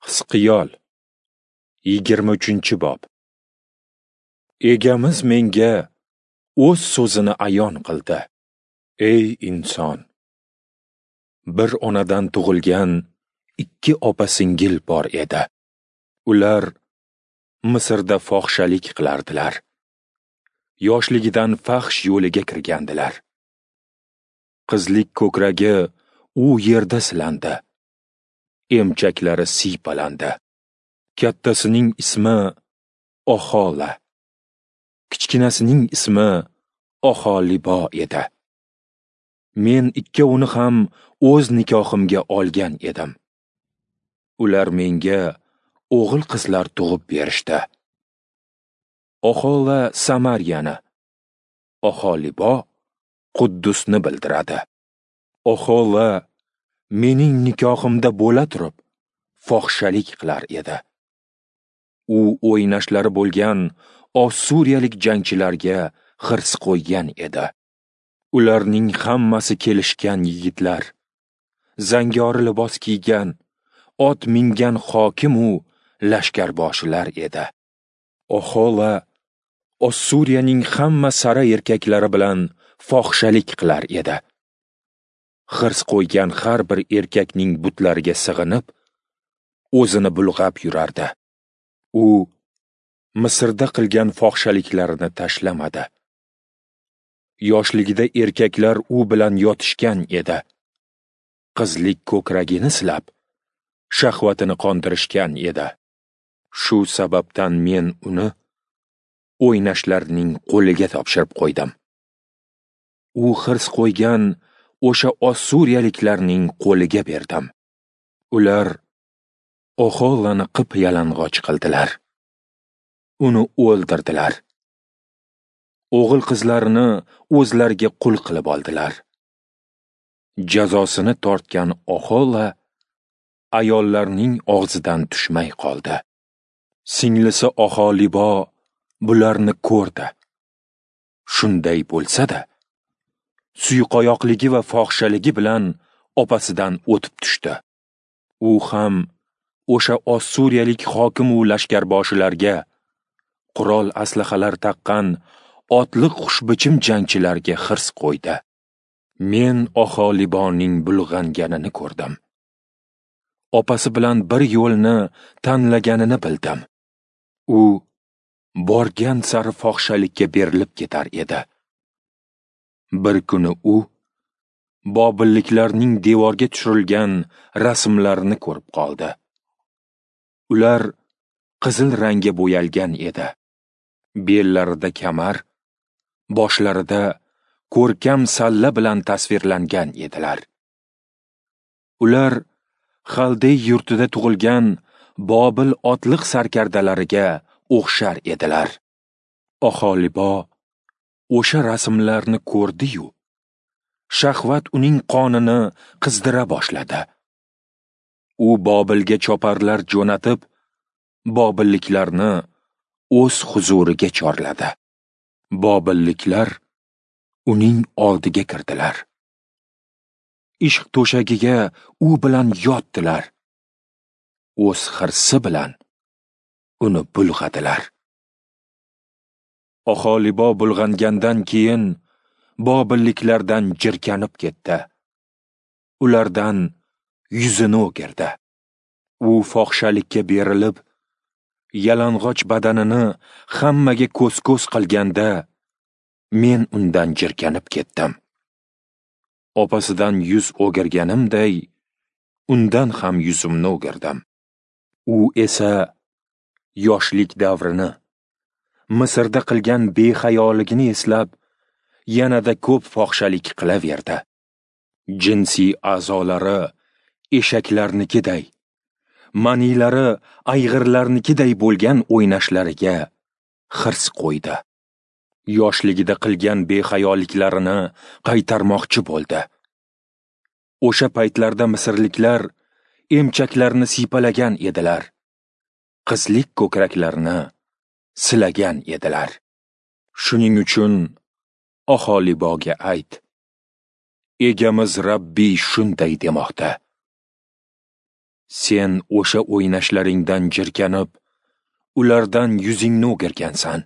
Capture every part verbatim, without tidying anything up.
Hizqiyol yigirma uchinchi bob. Egamiz menga o'z so'zini ayon qildi. Ey inson, bir onadan tug'ilgan ikki opa-singil bor edi. Ular Misrda fohishalik qilardilar. Yoshligidan fahsh yo'liga kirgandilar. Qizlik ko'kragi u yerda silandi. Emchaklari siypalandi. Kattasining ismi Ohola, kichkinasining ismi Oholibo edi. Men ikkovini ham o'z nikohimga olgan edim. Ular menga o'g'il qizlar tug'ib berishdi. Ohola Samariyani, Oholibo Quddusni bildiradi. Ohola mening nikohimda bo'la turib fohishalik qilar edi. U o'ynashlari bo'lgan Ossuriyalik jangchilarga hirs qo'ygan edi. Ularning hammasi kelishgan yigitlar, zangori libos kiygan, ot mingan hokim u lashkarboshilar edi. Ohola Ossuriyaning hamma sara erkaklari bilan fohishalik qilar edi. Hirs qo'ygan har bir erkakning butlariga sig'inib, o'zini bulg'ab yurardi. U Misrda qilgan fohishaliklarini tashlamadi. Yoshligida erkaklar u bilan yotishgan edi. Qizlik ko'kragini silab, shahvatini qondirishgan edi. Shu sababdan men uni o'ynashlarning qo'liga topshirib qo'ydim. U hirs qo'ygan o'sha Ossuriyaliklarning qo'liga berdim. Ular Oholani qip yalang'och qildilar. Uni o'ldirdilar. O'g'il qizlarini o'zlariga qul qilib oldilar. Jazosini tortgan Ohola ayollarning og'zidan tushmay qoldi. Singlisi Oholibo bularni ko'rdi. Shunday bo'lsa-da, suyqoyoqligi va fohishaligi bilan opasidan o'tib tushdi. U ham o'sha Ossuriyalik hokim u lashkarboshilarga, qurol aslahalar taqqan otliq xushbichim jangchilarga hirs qo'ydi. Men Oholiboning bulg'anganini ko'rdim. Opasi bilan bir yo'lni tanlaganini bildim. U borgan sari fohishalikka berilib ketar edi. Bir kuni u bobilliklarning devorga tushirilgan rasmlarini ko'rib qoldi. Ular qizil rangga bo'yalgan edi. Bellarida kamar, boshlarida ko'rkam salla bilan tasvirlangan edilar. Ular Xaldey yurtida tug'ilgan Bobil otliq sarkardalariga o'xshar edilar. Oholibo o'sha rasmlarni ko'rdi-yu, shahvat uning qonini qizdira boshladi. U Bobilga choparlar jo'natib, bobilliklarni o'z huzuriga chorladi. Bobilliklar uning oldiga kirdilar. Ishq to'shagiga u bilan yotdilar. O'z hirsi bilan uni bulg'adilar. Oholibo bulg'angandan keyin bobilliklardan jirkanib ketdi. Ulardan yuzini o'girdi. U fohishalikka berilib, yalang'och badanini hammaga ko'z-ko'z qilganda, men undan jirkanib ketdim. Opasidan yuz o'girganimday, undan ham yuzimni o'girdim. U esa yoshlik davrini, Misrda qilgan behayoligini eslab, yanada ko'p fohishalik qilaverdi. Jinsiy a'zolari eshaklarnikiday, manilari ayg'irlarnikiday bo'lgan o'ynashlariga hirs qo'ydi. Yoshligida qilgan behayoliklarini qaytarmoqchi bo'ldi. O'sha paytlarda misrliklar emchaklarni siypalagan edilar. Qizlik ko'kraklarini silagan edilar. Shuning uchun Oholiboga ayt: Egamiz Rabbiy shunday demoqda. Sen o'sha o'ynashlaringdan jirkanib, ulardan yuzingni o'girgansan.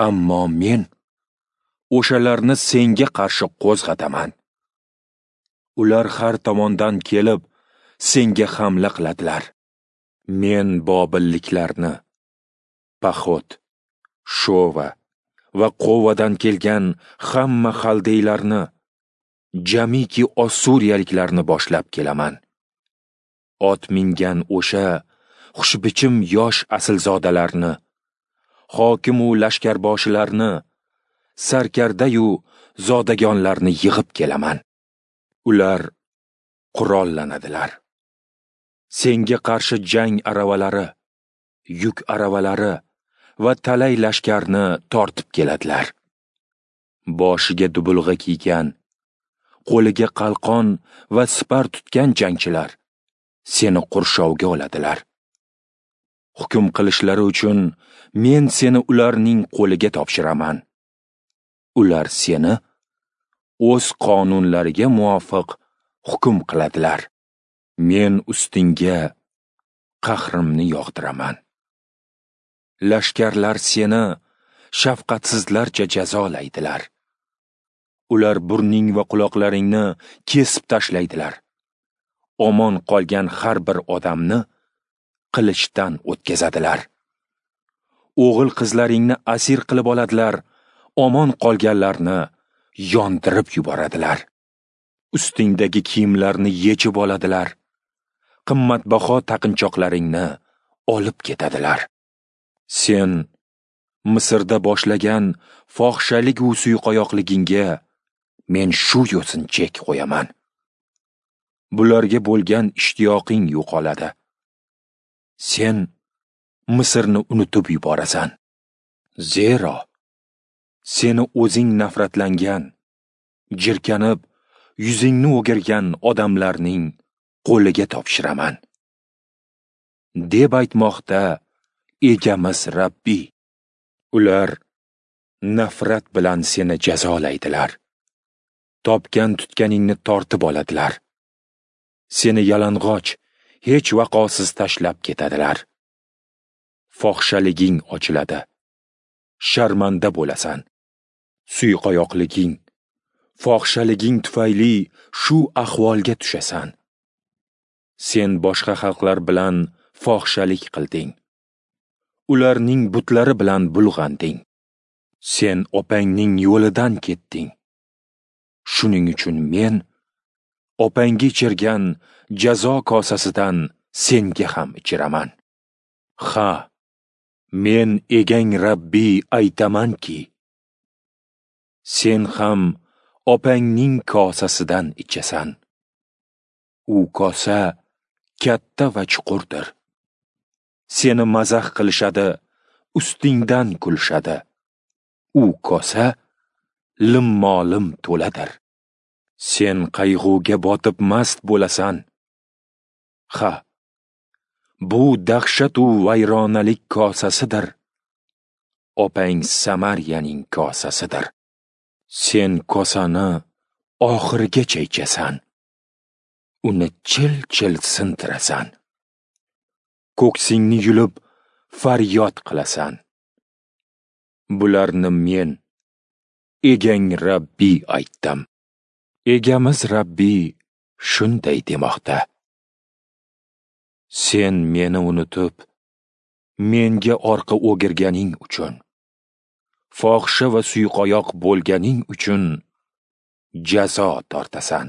Ammo men o'shalarni senga qarshi qo'zg'ataman. Ular har tomondan kelib, senga hamla qiladilar. Men bobilliklarni, Paxot, Shova va Qovadan kelgan hamma xaldeylarni, jamiki ossuriyaliklarni boshlab kelaman. Ot mingan o'sha xushbichim yosh aslzodalarni, hokim u lashkarboshilarni, sarkarda-yu zodagonlarni yig'ib kelaman. Ular qurollanadilar. Senga qarshi jang aravalari, yuk aravalari va talay lashkarni tortib keladilar. Boshiga dubulg'a kiygan, qo'liga qalqon va sipar tutgan jangchilar seni qurshovga oladilar. Hukm qilishlari uchun men seni ularning qo'liga topshiraman. Ular seni o'z qonunlariga muvofiq hukm qiladilar. Men ustingga qahrimni yog'diraman. Lashkarlar seni shafqatsizlarcha jazolaydilar. Ular burning va quloqlaringni kesib tashlaydilar. Omon qolgan har bir odamni qilichdan o'tkazadilar. O'g'il qizlaringni asir qilib oladilar, omon qolganlarni yondirib yuboradilar. Ustingdagi kiyimlarni yechib oladilar. Qimmatbaho taqinchoqlaringni olib ketadilar. Sen Misrda boshlagan fohishalik va suyqoyoqligingga men shu yo'sin chek qo'yaman. Bularga bo'lgan ishtiyoqing yo'qoladi. Sen Misrni unutib yuborasan. Zero seni o'zing nafratlangan, jirkanib, yuzingni o'girgan odamlarning qo'liga topshiraman, deb aytmoqda Egamiz Rabbiy. Ular nafrat bilan seni jazolaydilar. Topgan tutganingni tortib oladilar. Seni yalang'och, hech vaqosiz tashlab ketadilar. Fohishaliging ochiladi. Sharmanda bo'lasan. Suyqoyoqliging, fohishaliging tufayli shu ahvolga tushasan. Sen boshqa xalqlar bilan fohishalik qilding. Ularning butlari bilan bulg'anding. Sen opangning yo'lidan ketding. Shuning uchun men opangga ichirgan jazo kosasidan senga ham ichiraman. Ha, men egang Rabbiy aytamanki, sen ham opangning kosasidan ichasan. U kosa katta va chuqurdir. Seni mazax qilishadi, ustingdan kulishadi. U kosa limmolim to'ladir. Sen qayg'uga botib mast bo'lasan. Ha, bu dahshat u vayronalik kosasidir. Opang Samariyaning kosasidir. Sen kosani oxirigacha ichasan. Uni chil-chil sintirasan. Ko'ksingni yulib faryod qilasan. Bularni men, egang Rabbiy aytdim. Egamiz Rabbiy shunday demoqda: Sen meni unutib, menga orqa o'girganing uchun, fohisha va suyqoyoq bo'lganing uchun jazo tortasan.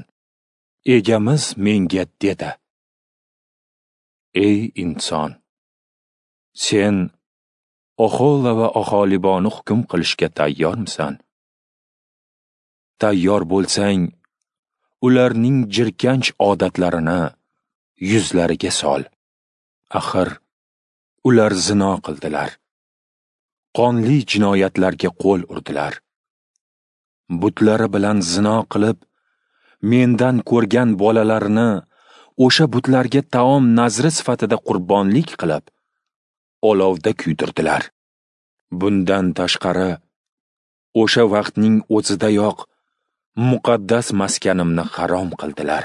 Egamiz menga dedi: Ey inson, sen Ohola va Oholiboni hukm qilishga tayyormisan? Tayyor bo'lsang, ularning jirkanch odatlarini yuzlariga sol. Axir ular zino qildilar. Qonli jinoyatlarga qo'l urdilar. Butlari bilan zino qilib, mendan ko'rgan bolalarini o'sha butlarga taom nazri sifatida qurbonlik qilib, olovda kuydirdilar. Bundan tashqari, o'sha vaqtning o'zidayoq muqaddas maskanimni harom qildilar.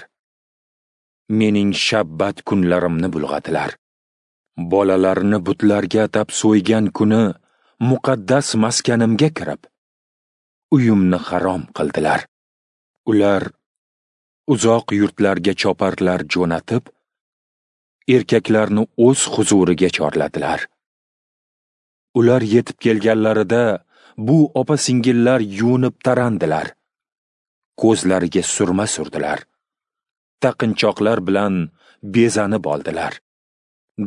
Mening shabbat kunlarimni bulg'adilar. Bolalarini butlarga atab so'ygan kuni muqaddas maskanimga kirib, uyimni harom qildilar. Ular uzoq yurtlarga choparlar jo'natib, erkaklarni o'z huzuriga chorladilar. Ular yetib kelganlarida bu opa-singillar yuvinib tarandilar. Ko'zlariga surma surdilar. Taqinchoqlar bilan bezanib oldilar.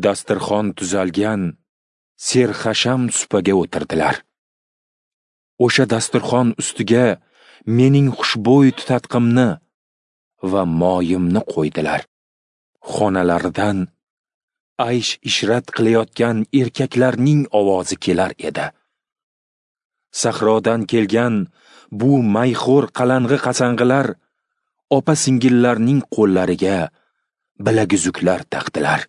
Dasturxon tuzalgan serxasham supaga o'tirdilar. O'sha dasturxon ustiga mening xushbo'y tutatqimni va moyimni qo'ydilar. Xonalaridan aysh-ishrat qilayotgan erkaklarning ovozi kelar edi. Sahrodan kelgan bu mayxo'r qalang'i-qasang'ilar opa-singillarning qo'llariga bilaguzuklar taqdilar.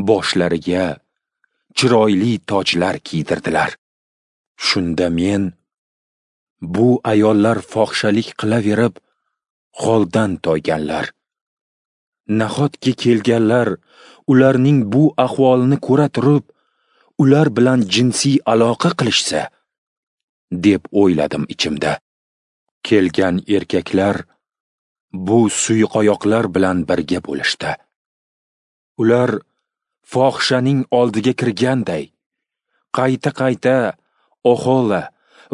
Boshlariga chiroyli tojlar kiydirdilar. Shunda men, bu ayollar fohishalik qilaverib, holdan toyganlar. Nahotki kelganlar ularning bu ahvolini ko'ra turib, ular bilan jinsiy aloqa qilishsa, deb o'yladim ichimda. Kelgan erkaklar bu suyqoyoqlar bilan birga bo'lishdi. Ular fohishaning oldiga kirganday, qayta-qayta Ohola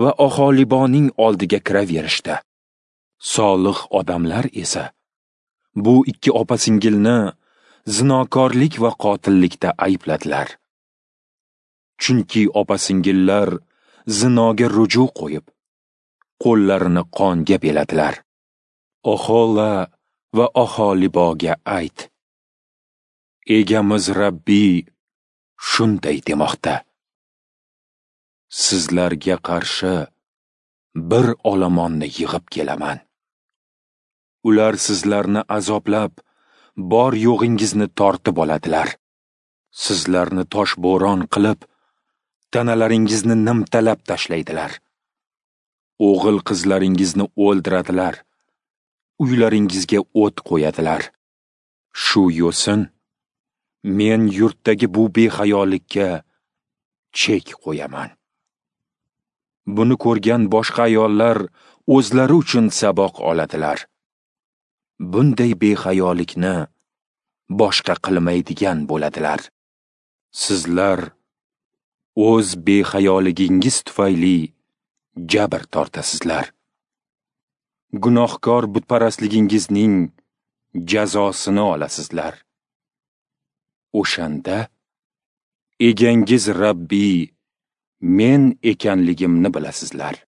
va Oholiboning oldiga kiraverishdi. Solih odamlar esa bu ikki opa-singilni zinokorlik va qotillikda aybladilar. Chunki opa-singillar zinoga ruju qo'yib, qo'llarini qonga beladilar. Ohola va Oholiboga ayt: Egamiz Rabbiy shunday demoqda: Sizlarga qarshi bir olomonni yig'ib kelaman. Ular sizlarni azoblab, bor yo'g'ingizni tortib oladilar. Sizlarni toshbo'ron qilib, tanalaringizni nimtalab tashlaydilar. O'g'il qizlaringizni o'ldiradilar. Uylaringizga o't qo'yadilar. Shu yo'sin men yurtdagi bu behayolikka chek qo'yaman. Buni ko'rgan boshqa ayollar o'zlari uchun saboq oladilar. Bunday behayolikni boshqa qilmaydigan bo'ladilar. Sizlar o'z behayoligingiz tufayli jabr tortasizlar. Gunohkor butparastligingizning jazosini olasizlar. O'shanda egangiz Rabbiy men ekanligimni bilasizlar.